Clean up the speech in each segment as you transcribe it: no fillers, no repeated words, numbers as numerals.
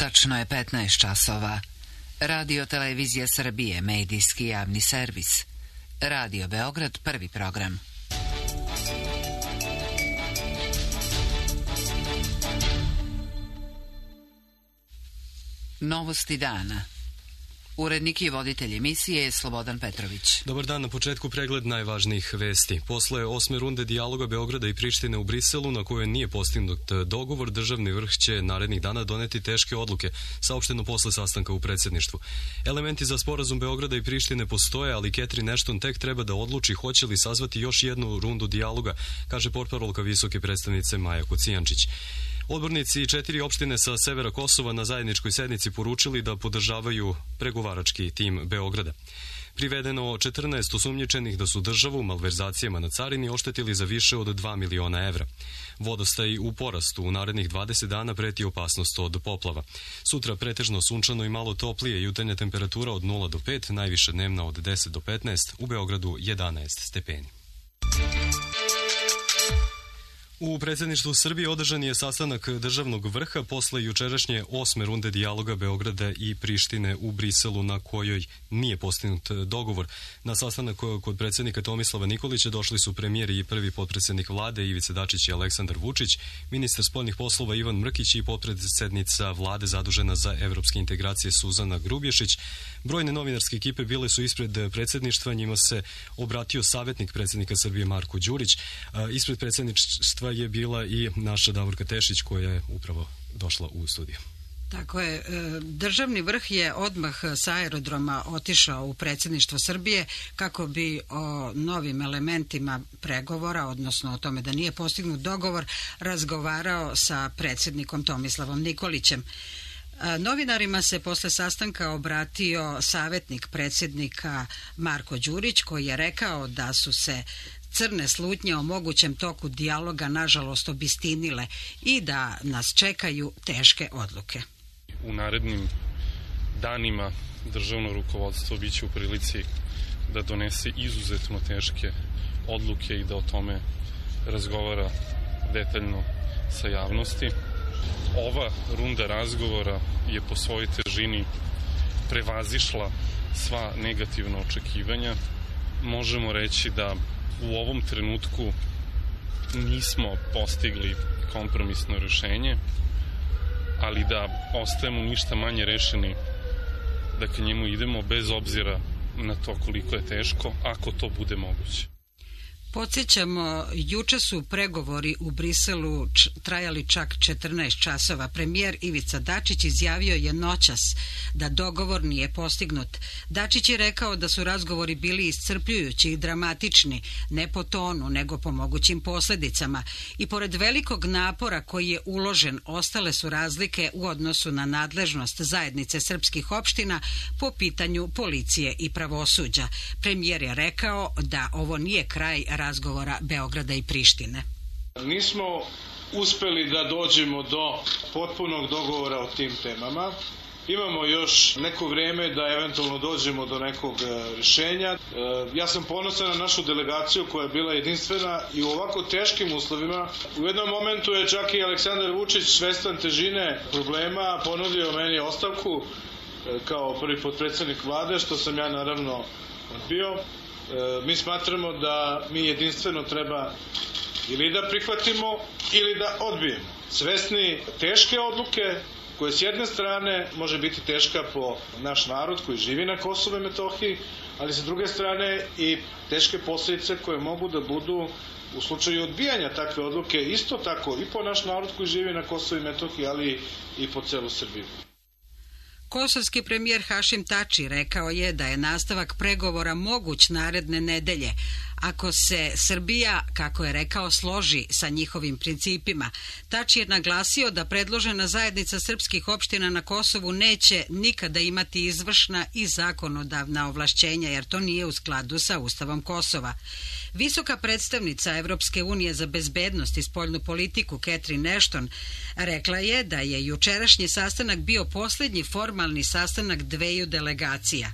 Tačno je 15 časova. Radio Televizija Srbije, medijski javni servis. Radio Beograd, prvi program. Novosti dana. Urednik i voditelj emisije je Slobodan Petrović. Dobar dan, na početku pregled najvažnijih vesti. Posle 8. runde dijaloga Beograda i Prištine u Briselu, na kojoj nije postignut dogovor, državni vrh će narednih dana doneti teške odluke, saopšteno posle sastanka u predsjedništvu. Elementi za sporazum Beograda i Prištine postoje, ali Catherine Ashton tek treba da odluči hoće li sazvati još jednu rundu dijaloga, kaže portparolka visoke predstavnice Maja Kocijančić. Odbornici 4 opštine sa severa Kosova na zajedničkoj sednici poručili da podržavaju pregovarački tim Beograda. Privedeno 14 osumnjičenih da su državu malverzacijama na carini oštetili za više od 2 miliona evra. Vodostaj u porastu, u narednih 20 dana preti opasnost od poplava. Sutra pretežno sunčano i malo toplije, jutarnja temperatura od 0 do 5, najviše dnevna od 10 do 15, u Beogradu 11 stepeni. U predsjedništvu Srbije održan je sastanak državnog vrha posle jučerašnje 8. runde dijaloga Beograda i Prištine u Briselu, na kojoj nije postignut dogovor. Na sastanak kod predsjednika Tomislava Nikolića došli su premijer i prvi potpredsjednik vlade Ivica Dačić i Aleksandar Vučić, ministar spoljnih poslova Ivan Mrkić i potpredsjednica vlade zadužena za evropske integracije Suzana Grubješić. Brojne novinarske ekipe bile su ispred predsjedništva, njima se obratio savjetnik predsjednika Srbije Marko Đurić. Ispred predsjedništva je bila i naša Davorka Tešić koja je upravo došla u studiju. Tako je, državni vrh je odmah sa aerodroma otišao u predsjedništvo Srbije kako bi o novim elementima pregovora, odnosno o tome da nije postignut dogovor, razgovarao sa predsjednikom Tomislavom Nikolićem. Novinarima se posle sastanka obratio savjetnik predsjednika Marko Đurić, koji je rekao da su se crne slutnje o mogućem toku dijaloga nažalost obistinile i da nas čekaju teške odluke. U narednim danima državno rukovodstvo biće u prilici da donese izuzetno teške odluke i da o tome razgovara detaljno sa javnosti. Ova runda razgovora je po svojoj težini prevazišla sva negativna očekivanja. Možemo reći da u ovom trenutku nismo postigli kompromisno rješenje, ali da ostajemo ništa manje rešeni da ka njemu idemo bez obzira na to koliko je teško, ako to bude moguće. Podsjećamo, juče su pregovori u Briselu trajali čak 14 časova. Premijer Ivica Dačić izjavio je noćas da dogovor nije postignut. Dačić je rekao da su razgovori bili iscrpljujući i dramatični, ne po tonu, nego po mogućim posljedicama. I pored velikog napora koji je uložen, ostale su razlike u odnosu na nadležnost zajednice srpskih opština po pitanju policije i pravosuđa. Premijer je rekao da ovo nije kraj razgovora Beograda i Prištine. Nismo uspeli da dođemo do potpunog dogovora o tim temama. Imamo još neko vrijeme da eventualno dođemo do nekog rješenja. Ja sam ponosan na našu delegaciju koja je bila jedinstvena i u ovako teškim uslovima. U jednom momentu je čak i Aleksandar Vučić, svestan težine problema, ponudio meni ostavku kao prvi potpredsjednik vlade, što sam ja naravno odbio. Mi smatramo da mi jedinstveno treba ili da prihvatimo ili da odbijemo. Svesni teške odluke koje s jedne strane može biti teška po naš narod koji živi na Kosovu i Metohiji, ali sa druge strane i teške posljedice koje mogu da budu u slučaju odbijanja takve odluke isto tako i po naš narod koji živi na Kosovu i Metohiji, ali i po celu Srbiju. Kosovski premijer Hašim Tači rekao je da je nastavak pregovora moguć naredne nedelje, ako se Srbija, kako je rekao, složi sa njihovim principima. Tači je naglasio da predložena zajednica srpskih opština na Kosovu neće nikada imati izvršna i zakonodavna ovlašćenja, jer to nije u skladu sa Ustavom Kosova. Visoka predstavnica Evropske unije za bezbednost i spoljnu politiku Catherine Ashton rekla je da je jučerašnji sastanak bio posljednji formalni sastanak dveju delegacija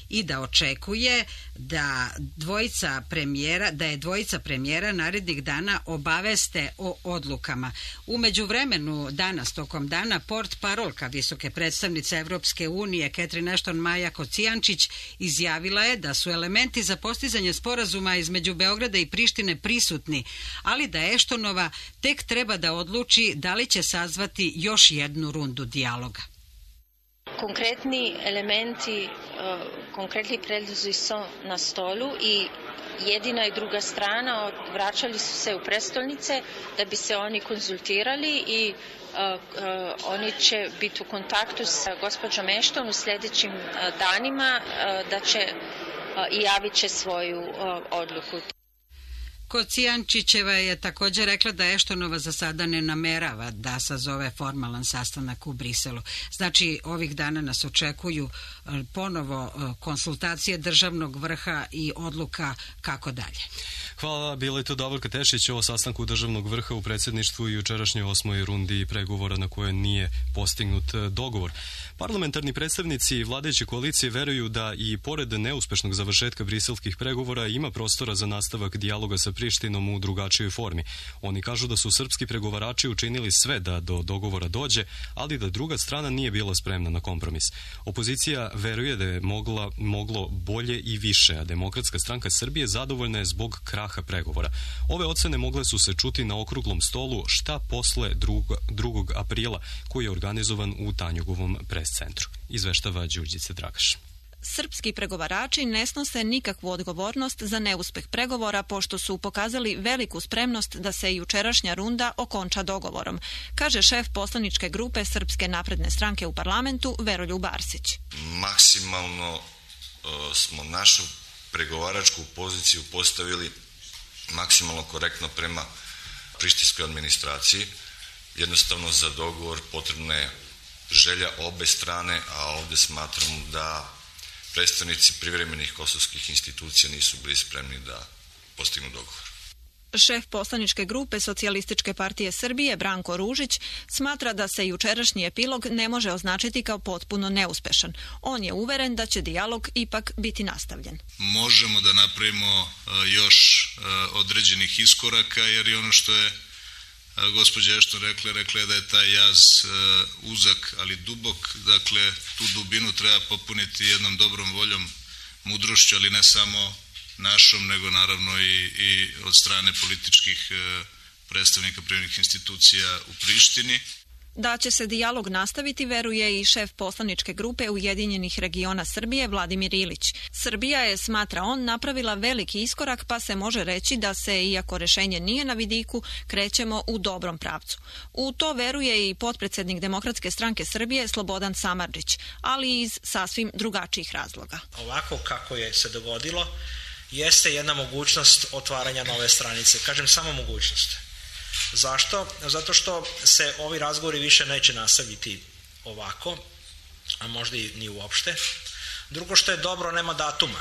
i da očekuje da dvojica premijera da je dvojica premijera narednih dana obaveste o odlukama. U međuvremenu danas, tokom dana, portparolka visoke predstavnice Evropske unije Catherine Ashton Maja Kocijančić izjavila je da su elementi za postizanje sporazuma između Beograda i Prištine prisutni, ali da Ashtonova tek treba da odluči da li će sazvati još jednu rundu dijaloga. Konkretni elementi, konkretni predlozi su na stolu i jedina i druga strana vraćali su se u prestolnice da bi se oni konzultirali i oni će biti u kontaktu sa gospođom Ashton u sljedećim danima da će i javit će svoju odluku. Kocijančićeva je također rekla da Ashtonova za sada ne namerava da sazove formalan sastanak u Briselu. Znači, ovih dana nas očekuju ponovo konsultacije državnog vrha i odluka kako dalje. Hvala, bila je to Davorka Tešić o sastanku državnog vrha u predsjedništvu i jučerašnjoj 8. rundi pregovora na koje nije postignut dogovor. Parlamentarni predstavnici vladajuće koalicije veruju da i pored neuspešnog završetka briselskih pregovora ima prostora za nastavak dijaloga sa Prištinom u drugačijoj formi. Oni kažu da su srpski pregovarači učinili sve da do dogovora dođe, ali da druga strana nije bila spremna na kompromis. Opozicija veruje da je moglo bolje i više, a Demokratska stranka Srbije zadovoljna je zbog kraha pregovora. Ove ocene mogle su se čuti na okruglom stolu Šta posle 2. aprila, koji je organizovan u Tanjugovom prescentru. Izveštava Đurđica Dragaš. Srpski pregovarači ne snose nikakvu odgovornost za neuspeh pregovora pošto su pokazali veliku spremnost da se jučerašnja runda okonča dogovorom, kaže šef poslaničke grupe Srpske napredne stranke u parlamentu Veroljub Arsić. Maksimalno smo našu pregovaračku poziciju postavili maksimalno korektno prema prištinskoj administraciji. Jednostavno za dogovor potrebna je želja obe strane, a ovdje smatram da predstavnici privremenih kosovskih institucija nisu bili spremni da postignu dogovor. Šef poslaničke grupe Socijalističke partije Srbije Branko Ružić smatra da se jučerašnji epilog ne može označiti kao potpuno neuspešan. On je uveren da će dijalog ipak biti nastavljen. Možemo da napravimo još određenih iskoraka, jer je ono što je gospođa Ashton rekla je da je taj jaz uzak ali dubok, dakle tu dubinu treba popuniti jednom dobrom voljom, mudrošću, ali ne samo našom, nego naravno i od strane političkih predstavnika privremenih institucija u Prištini. Da će se dijalog nastaviti veruje i šef poslaničke grupe Ujedinjenih regiona Srbije Vladimir Ilić. Srbija je, smatra on, napravila veliki iskorak pa se može reći da se, iako rešenje nije na vidiku, krećemo u dobrom pravcu. U to veruje i potpredsjednik Demokratske stranke Srbije Slobodan Samardžić, ali iz sasvim drugačijih razloga. Ovako kako je se dogodilo jeste jedna mogućnost otvaranja nove stranice. Kažem samo mogućnost. Zašto? Zato što se ovi razgovori više neće nastaviti ovako, a možda i ni uopšte. Drugo što je dobro, nema datuma.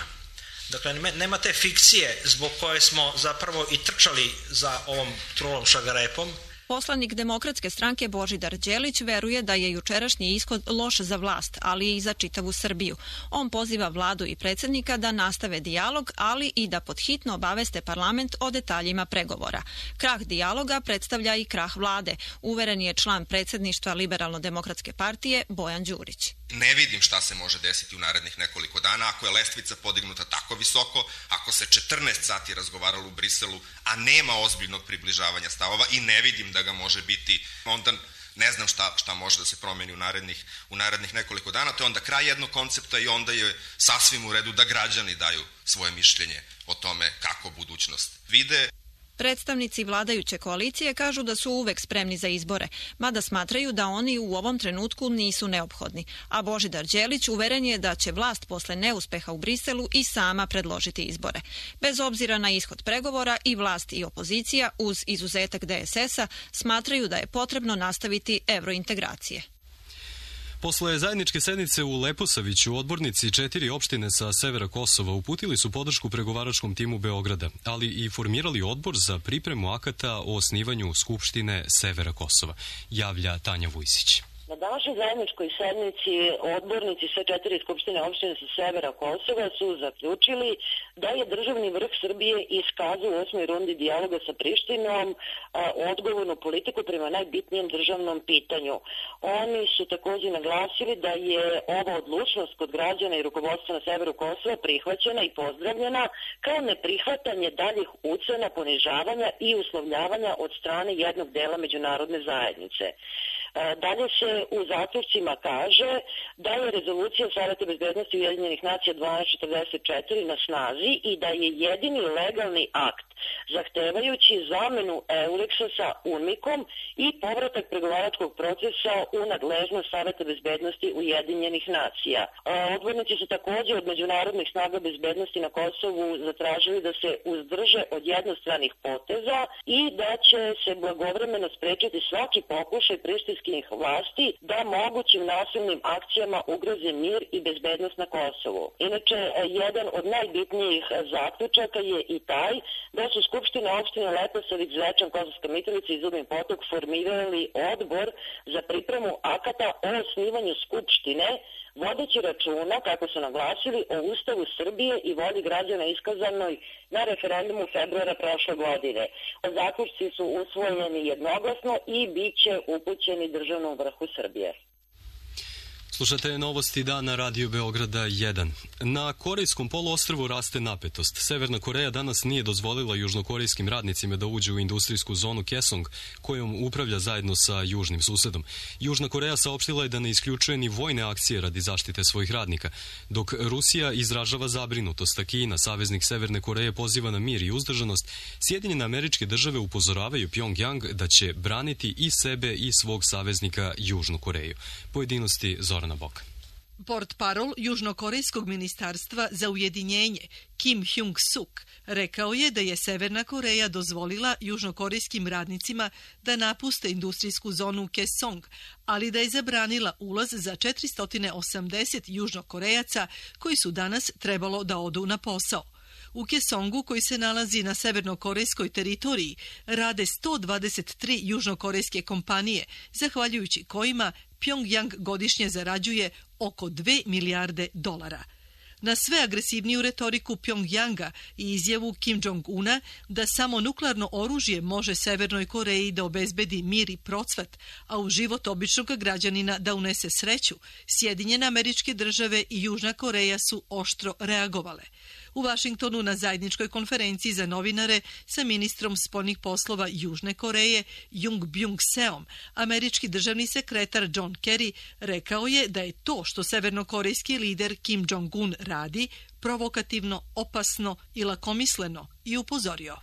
Dakle, nema te fikcije zbog koje smo zapravo i trčali za ovom trulom šagarepom. Poslanik Demokratske stranke Božidar Đelić veruje da je jučerašnji ishod loš za vlast, ali i za čitavu Srbiju. On poziva vladu i predsjednika da nastave dijalog, ali i da podhitno obaveste parlament o detaljima pregovora. Krah dijaloga predstavlja i krah vlade, uveren je član predsjedništva Liberalno-demokratske partije Bojan Đurić. Ne vidim šta se može desiti u narednih nekoliko dana ako je lestvica podignuta tako visoko, ako se 14 sati razgovaralo u Briselu, a nema ozbiljnog približavanja stavova i ne vidim da ga može biti, onda ne znam šta može da se promeni u narednih nekoliko dana. To je onda kraj jednog koncepta i onda je sasvim u redu da građani daju svoje mišljenje o tome kako budućnost vide. Predstavnici vladajuće koalicije kažu da su uvek spremni za izbore, mada smatraju da oni u ovom trenutku nisu neophodni, a Božidar Đelić uveren je da će vlast posle neuspeha u Briselu i sama predložiti izbore. Bez obzira na ishod pregovora i vlast i opozicija, uz izuzetak DSS-a, smatraju da je potrebno nastaviti evrointegracije. Posle zajedničke sednice u Leposaviću, odbornici 4 opštine sa severa Kosova uputili su podršku pregovaračkom timu Beograda, ali i formirali odbor za pripremu akata o osnivanju Skupštine severa Kosova, javlja Tanja Vujsić. Na današnjoj zajedničkoj sednici odbornici sve 4 skupštine opštine sa severa Kosova su zaključili da je državni vrh Srbije iskazao u 8. rundi dijaloga sa Prištinom odgovornu politiku prema najbitnijem državnom pitanju. Oni su također naglasili da je ova odlučnost kod građana i rukovodstva na severu Kosova prihvaćena i pozdravljena kao neprihvatanje daljih ucena, ponižavanja i uslovljavanja od strane jednog dela međunarodne zajednice. Dalje se u zaključcima kaže da je rezolucija Saveta bezbednosti Ujedinjenih nacija 1244 na snazi i da je jedini legalni akt zahtevajući zamenu Eulexa sa UNMIK-om i povratak pregovaračkog procesa u nadležnost Saveta bezbednosti Ujedinjenih nacija. Odbornici su također od međunarodnih snaga bezbednosti na Kosovu zatražili da se uzdrže od jednostranih poteza i da će se blagovremeno sprečiti svaki pokušaj prištinskih vlasti da mogućim nasilnim akcijama ugroze mir i bezbednost na Kosovu. Inače, jedan od najbitnijih zaključaka je i taj da su Skupštine opštine Leposavić, Zvečan, Kosovska Mitrovica i Zubin Potok formirali odbor za pripremu akata o osnivanju Skupštine, vodeći računa, kako su naglasili, o Ustavu Srbije i volji građana iskazanoj na referendumu februara prošle godine. Zaključci su usvojeni jednoglasno i bit će upućeni državnom vrhu Srbije. Slušate novosti dana Radio Beograda 1. Na Korejskom poluostrvu raste napetost. Severna Koreja danas nije dozvolila južnokorejskim radnicima da uđu u industrijsku zonu Kaesong, kojom upravlja zajedno sa južnim susedom. Južna Koreja saopštila je da ne isključuje ni vojne akcije radi zaštite svojih radnika, dok Rusija izražava zabrinutost, a Kina, saveznik Severne Koreje, poziva na mir i uzdržanost. Sjedinjene Američke Države upozoravaju Pjongjang da će braniti i sebe i svog saveznika Južnu Koreju. Pojedinosti Zoran Bok. Portparol Južnokorejskog ministarstva za ujedinjenje Kim Hyung-suk rekao je da je Severna Koreja dozvolila južnokorejskim radnicima da napuste industrijsku zonu Kaesong, ali da je zabranila ulaz za 480 južnokorejaca koji su danas trebalo da odu na posao. U Kaesongu, koji se nalazi na severnokorejskoj teritoriji, rade 123 južnokorejske kompanije, zahvaljujući kojima Pjongjang godišnje zarađuje oko 2 milijarde dolara. Na sve agresivniju retoriku Pjongjanga i izjavu Kim Jong-una da samo nuklearno oružje može Severnoj Koreji da obezbedi mir i procvat, a u život običnog građanina da unese sreću, Sjedinjene Američke Države i Južna Koreja su oštro reagovale. U Vašingtonu na zajedničkoj konferenciji za novinare sa ministrom spoljnih poslova Južne Koreje Jung Byung-seom, američki državni sekretar John Kerry rekao je da je to što severnokorejski lider Kim Jong-un radi provokativno, opasno i lakomisleno i upozorio.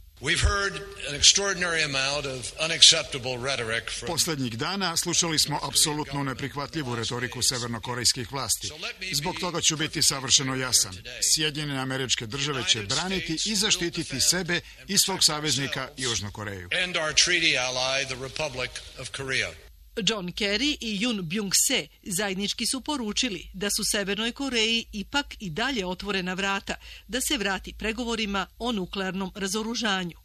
Poslednjih dana slušali smo apsolutno neprihvatljivu retoriku severnokorejskih vlasti. Zbog toga ću biti savršeno jasan. Sjedinjene Američke Države će braniti i zaštititi sebe i svog saveznika Južnu Koreju. John Kerry i Yoon Byung-se zajednički su poručili da su Severnoj Koreji ipak i dalje otvorena vrata da se vrati pregovorima o nuklearnom razoružanju.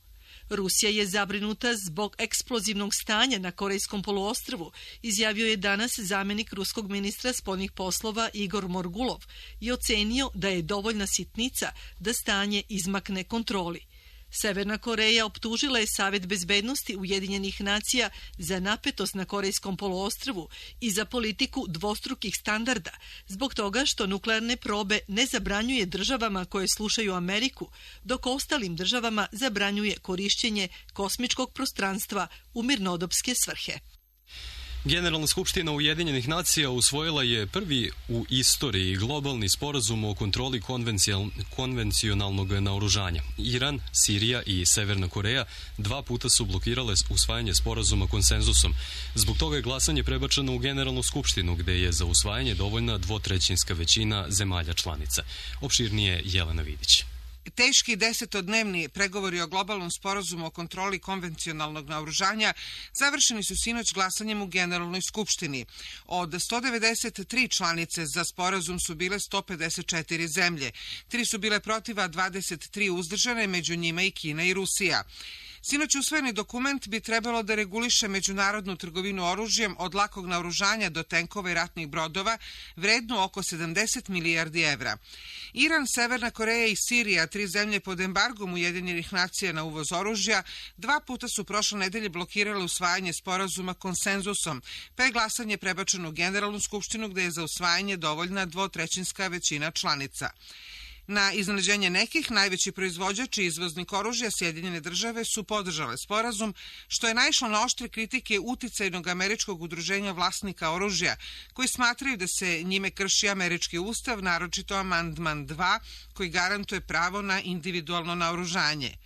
Rusija je zabrinuta zbog eksplozivnog stanja na Korejskom poluostrvu, izjavio je danas zamjenik ruskog ministra spoljnih poslova Igor Morgulov i ocenio da je dovoljna sitnica da stanje izmakne kontroli. Severna Koreja optužila je Savet bezbednosti Ujedinjenih nacija za napetost na Korejskom poluostrvu i za politiku dvostrukih standarda, zbog toga što nuklearne probe ne zabranjuje državama koje slušaju Ameriku, dok ostalim državama zabranjuje korišćenje kosmičkog prostranstva u mirnodopske svrhe. Generalna skupština Ujedinjenih nacija usvojila je prvi u istoriji globalni sporazum o kontroli konvencionalnog naoružanja. Iran, Sirija i Severna Koreja 2 puta su blokirale usvajanje sporazuma konsenzusom. Zbog toga je glasanje prebačeno u Generalnu skupštinu, gde je za usvajanje dovoljna 2/3 većina zemalja članica. Opširnije Jelena Vidić. Teški 10-dnevni pregovori o globalnom sporazumu o kontroli konvencionalnog naoružanja završeni su sinoć glasanjem u Generalnoj skupštini. Od 193 članice za sporazum su bile 154 zemlje. 3 su bile protiv, a 23 uzdržane, među njima i Kina i Rusija. Sinoć usvojeni dokument bi trebalo da reguliše međunarodnu trgovinu oružjem od lakog naoružanja do tenkova i ratnih brodova, vrednu oko 70 milijardi evra. Iran, Severna Koreja i Sirija, 3 zemlje pod embargom Ujedinjenih nacija na uvoz oružja, 2 puta su prošle nedelje blokirale usvajanje sporazuma konsenzusom, pa je glasanje prebačeno u Generalnu skupštinu gde je za usvajanje dovoljna 2/3 većina članica. Na iznenađenje nekih, najveći proizvođač i izvoznik oružja, Sjedinjene države, su podržale sporazum, što je naišlo na oštre kritike uticajnog američkog udruženja vlasnika oružja, koji smatraju da se njime krši američki ustav, naročito amandman 2, koji garantuje pravo na individualno naoružanje.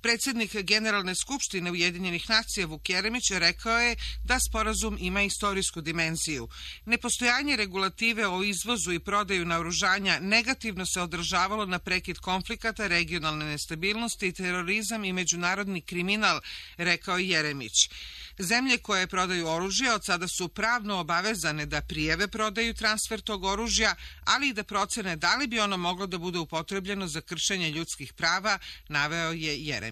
Predsjednik Generalne skupštine Ujedinjenih nacija Vuk Jeremić rekao je da sporazum ima istorijsku dimenziju. Nepostojanje regulative o izvozu i prodaju naoružanja negativno se odražavalo na prekid konflikata, regionalne nestabilnosti, terorizam i međunarodni kriminal, rekao je Jeremić. Zemlje koje prodaju oružje od sada su pravno obavezane da prijave prodaju transfer tog oružja, ali i da procene da li bi ono moglo da bude upotrebljeno za kršenje ljudskih prava, naveo je Jeremić.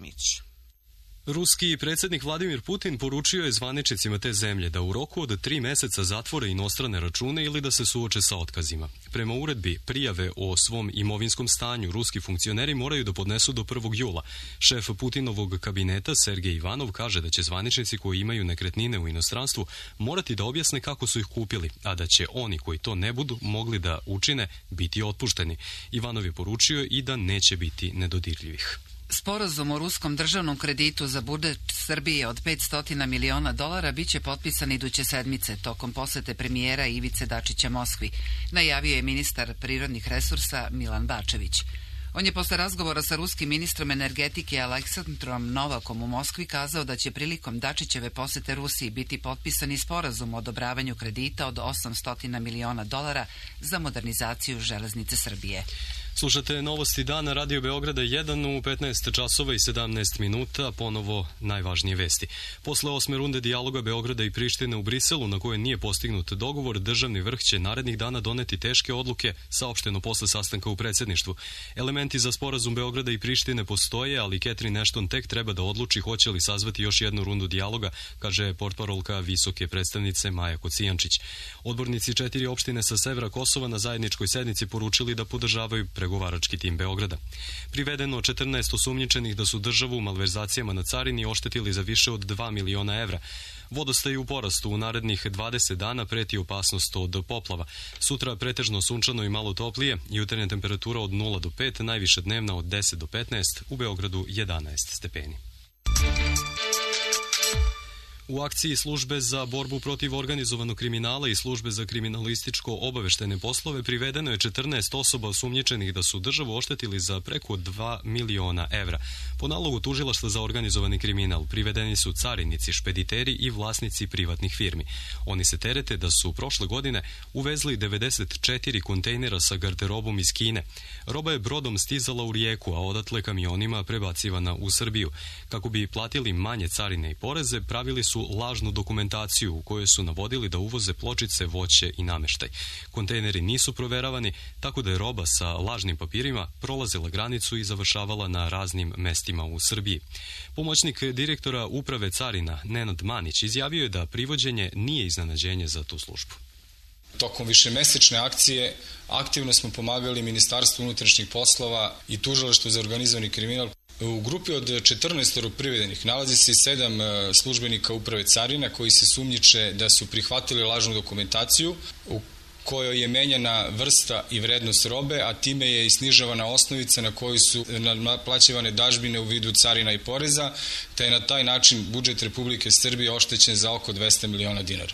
Ruski predsjednik Vladimir Putin poručio je zvaničnicima te zemlje da u roku od 3 meseca zatvore inostrane račune ili da se suoče sa otkazima. Prema uredbi, prijave o svom imovinskom stanju ruski funkcioneri moraju da podnesu do 1. jula. Šef Putinovog kabineta Sergej Ivanov kaže da će zvaničnici koji imaju nekretnine u inostranstvu morati da objasne kako su ih kupili, a da će oni koji to ne budu mogli da učine biti otpušteni. Ivanov je poručio i da neće biti nedodirljivih. Sporazum o ruskom državnom kreditu za budžet Srbije od $500 miliona biće potpisan iduće sedmice tokom posete premijera Ivice Dačića Moskvi, najavio je ministar prirodnih resursa Milan Bačević. On je posle razgovora sa ruskim ministrom energetike Aleksandrom Novakom u Moskvi kazao da će prilikom Dačićeve posete Rusiji biti potpisani sporazum o odobravanju kredita od $800 miliona za modernizaciju železnice Srbije. Slušate novosti dana Radio Beograda 1 u 15 časova i 17 minuta, ponovo najvažnije vesti. Posle 8. runde dijaloga Beograda i Prištine u Briselu, na kojoj nije postignut dogovor, državni vrh će narednih dana doneti teške odluke, saopšteno posle sastanka u predsjedništvu. Elementi za sporazum Beograda i Prištine postoje, ali Catherine Ashton tek treba da odluči hoće li sazvati još jednu rundu dijaloga, kaže portparolka visoke predstavnice Maja Kocijančić. Odbornici 4 opštine sa severa Kosova na zajedničkoj sednici poručili da podržavaju pregovarački tim Beograda. Privedeno 14 osumnjičenih da su državu u malverzacijama na carini oštetili za više od 2 miliona evra. Vodostaj u porastu, u narednih 20 dana preti opasnost od poplava. Sutra pretežno sunčano i malo toplije, jutarnja temperatura od 0 do 5, najviše dnevna od 10 do 15, u Beogradu 11 stepeni. U akciji Službe za borbu protiv organizovanog kriminala i Službe za kriminalističko-obaveštene poslove privedeno je 14 osoba osumnjičenih da su državu oštetili za preko 2 miliona evra. Po nalogu Tužilaštva za organizovani kriminal privedeni su carinici, špediteri i vlasnici privatnih firmi. Oni se terete da su prošle godine uvezli 94 kontejnera sa garderobom iz Kine. Roba je brodom stizala u Rijeku, a odatle kamionima prebacivana u Srbiju. Kako bi platili manje carine i poreze, pravili su lažnu dokumentaciju u kojoj su navodili da uvoze pločice, voće i nameštaj. Kontejneri nisu proveravani, tako da je roba sa lažnim papirima prolazila granicu i završavala na raznim mestima u Srbiji. Pomoćnik direktora Uprave carina Nenad Manić izjavio je da privođenje nije iznenađenje za tu službu. Tokom višemesečne akcije aktivno smo pomagali Ministarstvu unutrašnjih poslova i Tužilaštvu za organizovani kriminal. U grupi od 14 privedenih nalazi se 7 službenika Uprave carina koji se sumnjiče da su prihvatili lažnu dokumentaciju u kojoj je menjana vrsta i vrednost robe, a time je i snižavana osnovica na koju su naplaćivane dažbine u vidu carina i poreza, te je na taj način budžet Republike Srbije oštećen za oko 200 miliona dinara.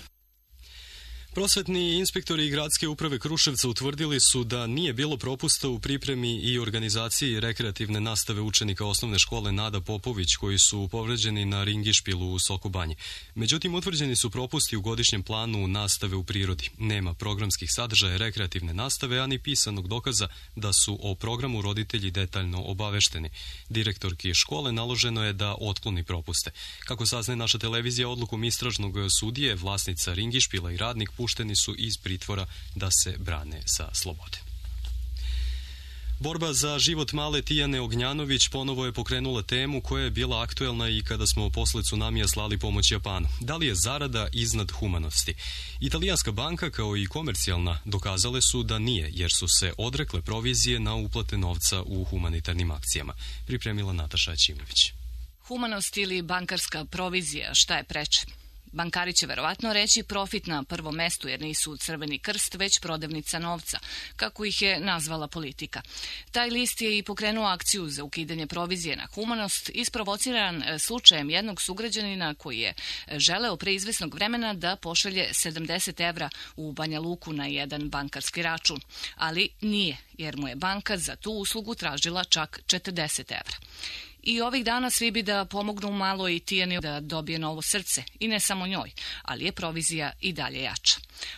Prosvetni inspektori i gradske uprave Kruševca utvrdili su da nije bilo propusta u pripremi i organizaciji rekreativne nastave učenika osnovne škole Nada Popović koji su povređeni na ringišpilu u Sokobanji. Međutim, utvrđeni su propusti u godišnjem planu nastave u prirodi. Nema programskih sadržaja rekreativne nastave, ani pisanog dokaza da su o programu roditelji detaljno obavešteni. Direktorki škole naloženo je da otkloni propuste. Kako saznaje naša televizija, odlukom istražnog sudije, vlasnica ringišpila i radnik pušteni su iz pritvora da se brane sa slobode. Borba za život male Tijane Ognjanović ponovo je pokrenula temu koja je bila aktuelna i kada smo posle tsunamija slali pomoć Japanu. Da li je zarada iznad humanosti? Italijanska banka kao i komercijalna dokazale su da nije, jer su se odrekle provizije na uplate novca u humanitarnim akcijama. Pripremila Nataša Ćimović. Humanost ili bankarska provizija, šta je preče? Bankari će verovatno reći profit na prvom mestu jer nisu Crveni krst, već prodavnica novca, kako ih je nazvala politika. Taj list je i pokrenuo akciju za ukidanje provizije na humanost, isprovociran slučajem jednog sugrađanina koji je želeo pre izvesnog vremena da pošalje 70 evra u Banja Luku na jedan bankarski račun. Ali nije, jer mu je banka za tu uslugu tražila čak 40 evra. I ovih dana svi bi da pomognu malo i Tijani da dobije novo srce, i ne samo njoj, ali je provizija i dalje jača.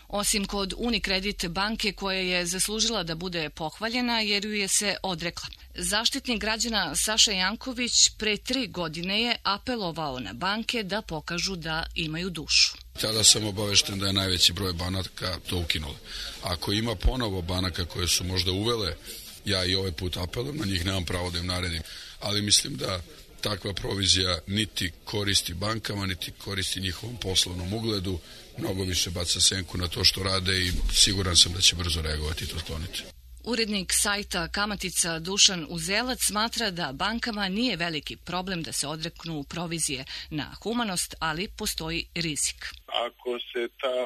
Osim kod Unicredit banke koja je zaslužila da bude pohvaljena jer ju je se odrekla. Zaštitnik građana Saša Janković pre 3 godine je apelovao na banke da pokažu da imaju dušu. Tada sam obavešten da je najveći broj banaka to ukinuli. Ako ima ponovo banaka koje su možda uvele, ja i ovaj put apelujem, na njih nemam pravo da im naredim, ali mislim da takva provizija niti koristi bankama, niti koristi njihovom poslovnom ugledu, mnogo više baca senku na to što rade i siguran sam da će brzo reagovati i to skloniti. Urednik sajta Kamatica Dušan Uzelac smatra da bankama nije veliki problem da se odreknu provizije na humanost, ali postoji rizik. Ako se ta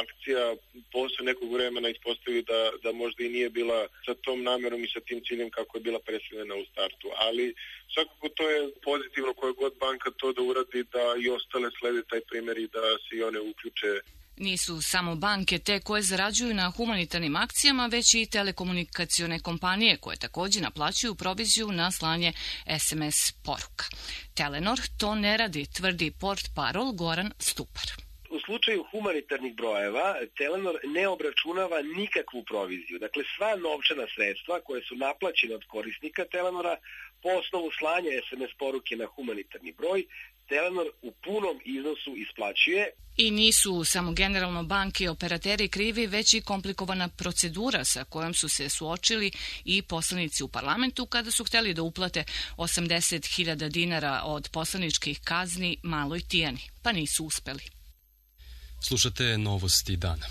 akcija posle nekog vremena ispostavi da možda i nije bila sa tom namerom i sa tim ciljem kako je bila predstavljena u startu, ali svakako to je pozitivno koja god banka to da uradi, da i ostale slede taj primjer i da se i one uključe. Nisu samo banke te koje zarađuju na humanitarnim akcijama, već i telekomunikacione kompanije koje također naplaćuju proviziju na slanje SMS poruka. Telenor to ne radi, tvrdi portparol Goran Stupar. U slučaju humanitarnih brojeva, Telenor ne obračunava nikakvu proviziju. Dakle, sva novčana sredstva koje su naplaćene od korisnika Telenora po osnovu slanja SMS poruke na humanitarni broj, Telenor u punom iznosu isplaćuje. I nisu samo generalno banke i operateri krivi, već i komplikovana procedura sa kojom su se suočili i poslanici u parlamentu kada su hteli da uplate 80.000 dinara od poslaničkih kazni maloj Tijani, pa nisu uspeli. Slušate novosti dana.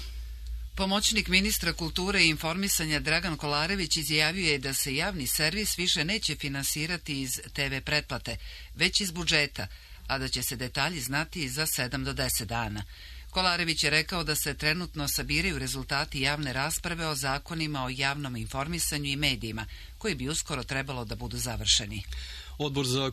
Pomoćnik ministra kulture i informisanja Dragan Kolarević izjavio je da se javni servis više neće finansirati iz TV pretplate, već iz budžeta, a da će se detalji znati za 7 do 10 dana. Kolarević je rekao da se trenutno sabiraju rezultati javne rasprave o zakonima o javnom informisanju i medijima, koji bi uskoro trebalo da budu završeni. Odbor za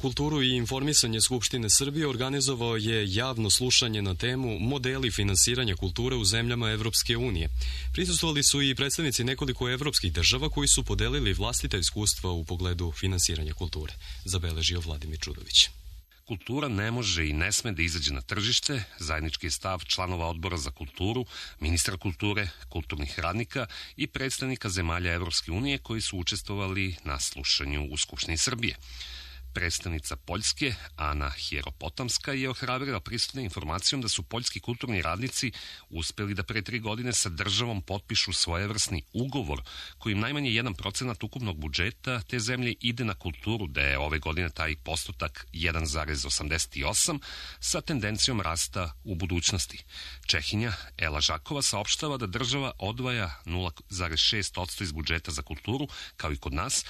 kulturu i informisanje Skupštine Srbije organizovao je javno slušanje na temu modeli finansiranja kulture u zemljama Evropske unije. Prisustvovali su i predstavnici nekoliko evropskih država koji su podelili vlastita iskustva u pogledu finansiranja kulture, zabeležio Vladimir Čudović. Kultura ne može i ne sme da izađe na tržište, zajednički je stav članova odbora za kulturu, ministra kulture, kulturnih radnika i predstavnika zemalja Evropske unije koji su učestvovali na slušanju u Skupštini Srbije. Predstavnica Poljske, Ana Hieropotamska, je ohrabrila prisutne informacijom da su poljski kulturni radnici uspeli da pre 3 godine sa državom potpišu svojevrsni ugovor kojim najmanje 1% ukupnog budžeta te zemlje ide na kulturu, da je ove godine taj postotak 1,88 sa tendencijom rasta u budućnosti. Čehinja Ela Žakova saopštava da država odvaja 0,6% iz budžeta za kulturu, kao i kod nas,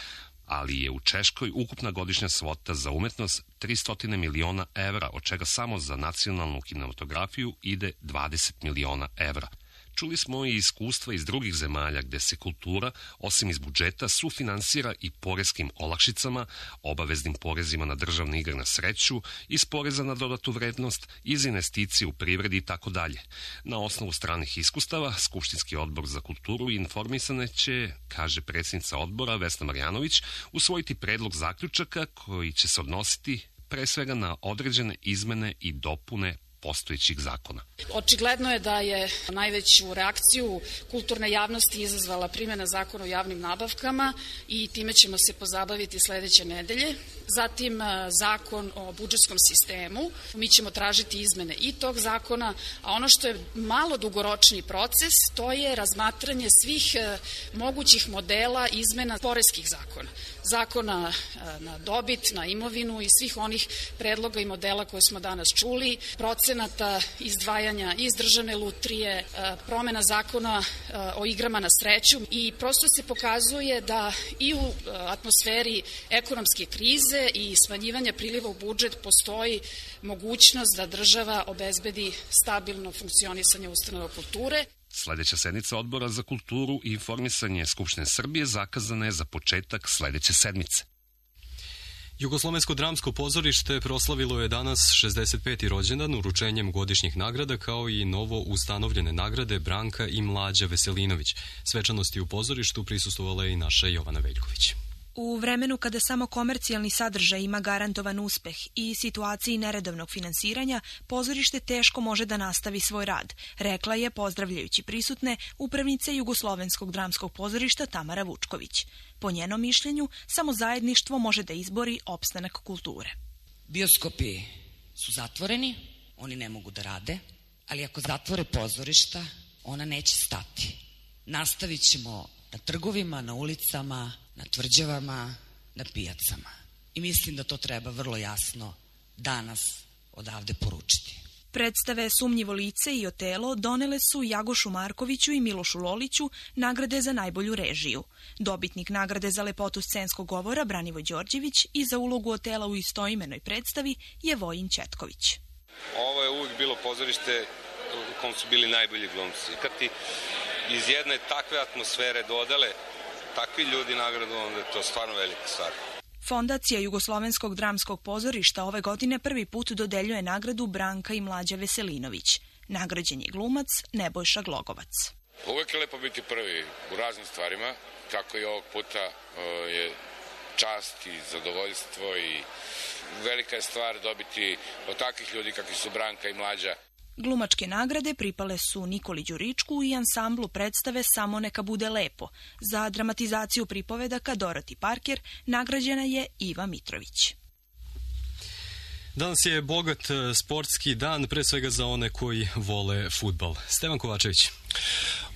ali je u Češkoj ukupna godišnja svota za umetnost 300 miliona evra, od čega samo za nacionalnu kinematografiju ide 20 miliona evra. Čuli smo i iskustva iz drugih zemalja gde se kultura, osim iz budžeta, sufinansira i poreskim olakšicama, obaveznim porezima na državne igre na sreću, iz poreza na dodatu vrednost, iz investicije u privredi i tako dalje. Na osnovu stranih iskustava, Skupštinski odbor za kulturu i informisanje će, kaže predsjednica odbora Vesna Marjanović, usvojiti predlog zaključaka koji će se odnositi pre svega na određene izmene i dopune postojećih zakona. Očigledno je da je najveću reakciju kulturne javnosti izazvala primjena zakona o javnim nabavkama i time ćemo se pozabaviti sledeće nedelje. zatim zakon o budžetskom sistemu. Mi ćemo tražiti izmene i tog zakona, a ono što je malo dugoročni proces, to je razmatranje svih mogućih modela izmena poreskih zakona. Zakona na dobit, na imovinu i svih onih predloga i modela koje smo danas čuli, procenata izdvajanja iz državne lutrije, promena zakona o igrama na sreću i prosto se pokazuje da i u atmosferi ekonomske krize i smanjivanja priliva u budžet postoji mogućnost da država obezbedi stabilno funkcionisanje ustanova kulture. Sledeća sednica Odbora za kulturu i informisanje Skupštine Srbije zakazana je za početak sledeće sedmice. Jugoslovensko dramsko pozorište proslavilo je danas 65. rođendan uručenjem godišnjih nagrada kao i novo ustanovljene nagrade Branka i Mlađa Veselinović. Svečanosti u pozorištu prisustvovala je i naša Jovana Veljković. U vremenu kada samo komercijalni sadržaj ima garantovan uspeh i situaciji neredovnog finansiranja, pozorište teško može da nastavi svoj rad, rekla je, pozdravljajući prisutne, upravnica Jugoslovenskog dramskog pozorišta Tamara Vučković. Po njenom mišljenju, samo zajedništvo može da izbori opstanak kulture. Bioskopi su zatvoreni, oni ne mogu da rade, ali ako zatvore pozorišta, ona neće stati. Nastavit ćemo na trgovima, na ulicama, na tvrđavama, na pijacama. I mislim da to treba vrlo jasno danas odavde poručiti. Predstave Sumnjivo lice i Otelo donele su Jagošu Markoviću i Milošu Loliću nagrade za najbolju režiju. Dobitnik nagrade za lepotu scenskog govora Branivoj Đorđević i za ulogu Otela u istoimenoj predstavi je Vojin Četković. Ovo je uvijek bilo pozorište u kom su bili najbolji glumci. Kad ti iz jedne takve atmosfere dodale takvi ljudi nagradu, onda je to stvarno velika stvar. Fondacija Jugoslovenskog dramskog pozorišta ove godine prvi put dodeljuje nagradu Branka i Mlađa Veselinović. Nagrađen je glumac Nebojša Glogovac. Uvijek je lepo biti prvi u raznim stvarima, tako i ovog puta je čast i zadovoljstvo i velika je stvar dobiti od takvih ljudi kakvi su Branka i Mlađa. Glumačke nagrade pripale su Nikoli Đuričku i ansamblu predstave Samo neka bude lepo. Za dramatizaciju pripovedaka Dorothy Parker nagrađena je Iva Mitrović. Danas je bogat sportski dan, pre svega za one koji vole fudbal. Stevan Kovačević.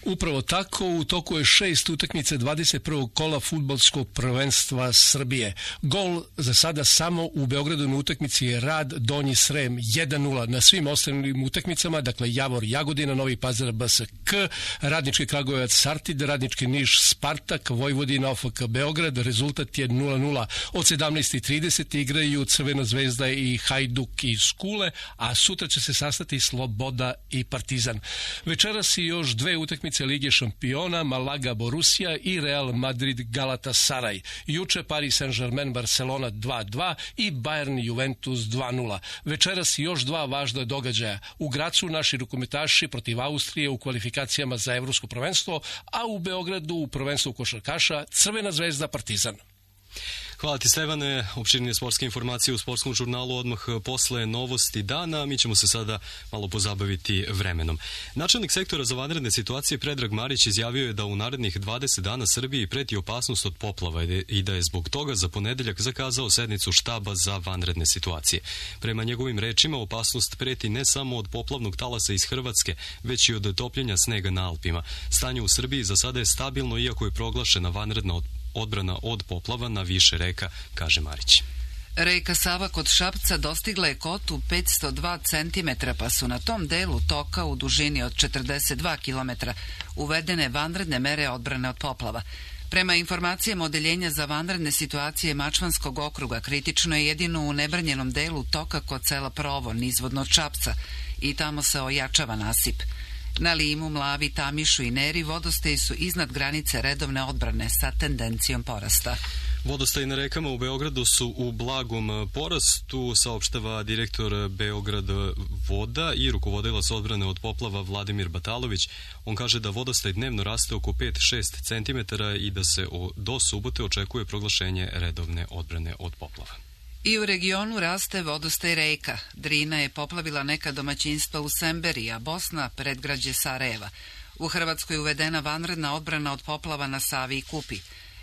Upravo tako, u toku je 6 utakmice 21. kola fudbalskog prvenstva Srbije. Gol za sada samo u Beogradu na utakmici je Rad Donji Srem 1-0. Na svim ostalim utakmicama, dakle Javor Jagodina, Novi Pazar BSK, Radnički Kragujevac Sartid, Radnički Niš Spartak, Vojvodina OFK Beograd, rezultat je 0-0. Od 17:30 igraju Crvena zvezda i Hajduk iz Kule, a sutra će se sastati Sloboda i Partizan. Večeras i još 2 utakmice Lige šampiona, Malaga Borussia i Real Madrid Galatasaray. Juče Paris Saint-Germain Barcelona 2-2 i Bayern Juventus 2-0. Večeras i još 2 važna događaja. U Gracu naši rukometaši protiv Austrije u kvalifikacijama za evropsko prvenstvo, a u Beogradu u prvenstvu košarkaša Crvena zvezda Partizan. Hvala ti, Stevane. Opširnije sportske informacije u sportskom žurnalu odmah posle novosti dana. Mi ćemo se sada malo pozabaviti vremenom. Načelnik sektora za vanredne situacije Predrag Marić izjavio je da u narednih 20 dana Srbiji preti opasnost od poplava i da je zbog toga za ponedeljak zakazao sednicu štaba za vanredne situacije. Prema njegovim rečima, opasnost preti ne samo od poplavnog talasa iz Hrvatske, već i od topljenja snega na Alpima. Stanje u Srbiji za sada je stabilno, iako je proglašena vanredna odbrana od poplava na više reka, kaže Marić. Reka Sava kod Šapca dostigla je kotu 502 cm, pa su na tom delu toka u dužini od 42 km uvedene vanredne mere odbrane od poplava. Prema informacijama Odeljenja za vanredne situacije Mačvanskog okruga, kritično je jedino u nebranjenom delu toka kod sela Provo, nizvodno od Šapca, i tamo se ojačava nasip. Na Limu, Mlavi, Tamišu i Neri vodostaji su iznad granice redovne odbrane sa tendencijom porasta. Vodostaji na rekama u Beogradu su u blagom porastu, saopštava direktor Beograd voda i rukovodilac odbrane od poplava Vladimir Batalović. On kaže da vodostaj dnevno raste oko 5-6 cm i da se do subote očekuje proglašenje redovne odbrane od poplava. I u regionu raste vodostaj reka. Drina je poplavila neka domaćinstva u Semberi, a Bosna predgrađe Sarajeva. U Hrvatskoj je uvedena vanredna odbrana od poplava na Savi i Kupi.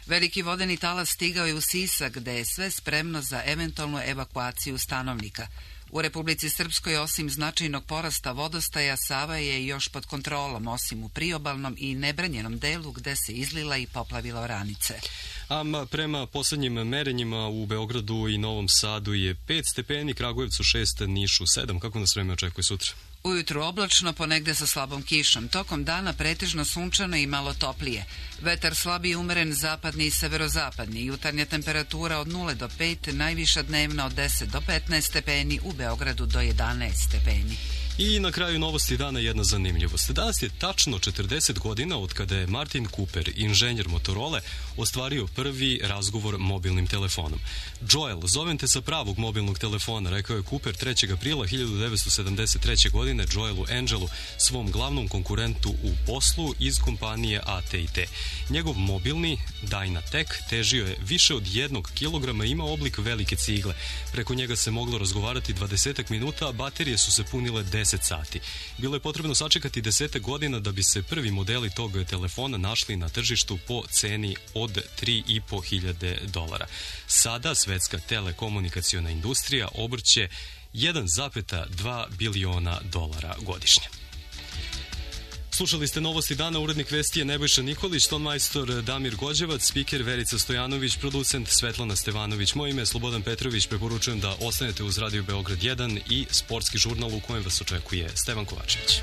Veliki vodeni talas stigao je u Sisak, gde je sve spremno za eventualnu evakuaciju stanovnika. U Republici Srpskoj, osim značajnog porasta vodostaja, Sava je još pod kontrolom, osim u priobalnom i nebranjenom delu gde se izlila i poplavila oranice. A prema poslednjim merenjima u Beogradu i Novom Sadu je 5 stepeni, Kragujevcu 6, Nišu 7. Kako nas vreme očekuje sutra? Ujutru oblačno, ponegde sa slabom kišom. Tokom dana pretežno sunčano i malo toplije. Vetar slab i umeren zapadni i severozapadni. Jutarnja temperatura od 0 do 5, najviša dnevna od 10 do 15 stepeni, u Beogradu do 11 stepeni. I na kraju novosti dana jedna zanimljivost. Danas je tačno 40 godina od kada je Martin Cooper, inženjer Motorola, ostvario prvi razgovor mobilnim telefonom. Joel, zovem te sa pravog mobilnog telefona, rekao je Cooper 3. aprila 1973. godine Joelu Angelu, svom glavnom konkurentu u poslu iz kompanije AT&T. Njegov mobilni Dynatek težio je više od 1 kilograma i ima oblik velike cigle. Preko njega se moglo razgovarati 20 minuta, a baterije su se punile 10 sati. Bilo je potrebno sačekati 10 godina da bi se prvi modeli tog telefona našli na tržištu po ceni od $3.500. Sada svetska telekomunikaciona industrija obrće $1,2 biliona godišnje. Slušali ste novosti dana, urednik vesti je Nebojša Nikolić, tonmajstor Damir Gođevac, spiker Verica Stojanović, producent Svetlana Stevanović. Moje ime je Slobodan Petrović, preporučujem da ostanete uz Radio Beograd 1 i sportski žurnal u kojem vas očekuje Stevan Kovačević.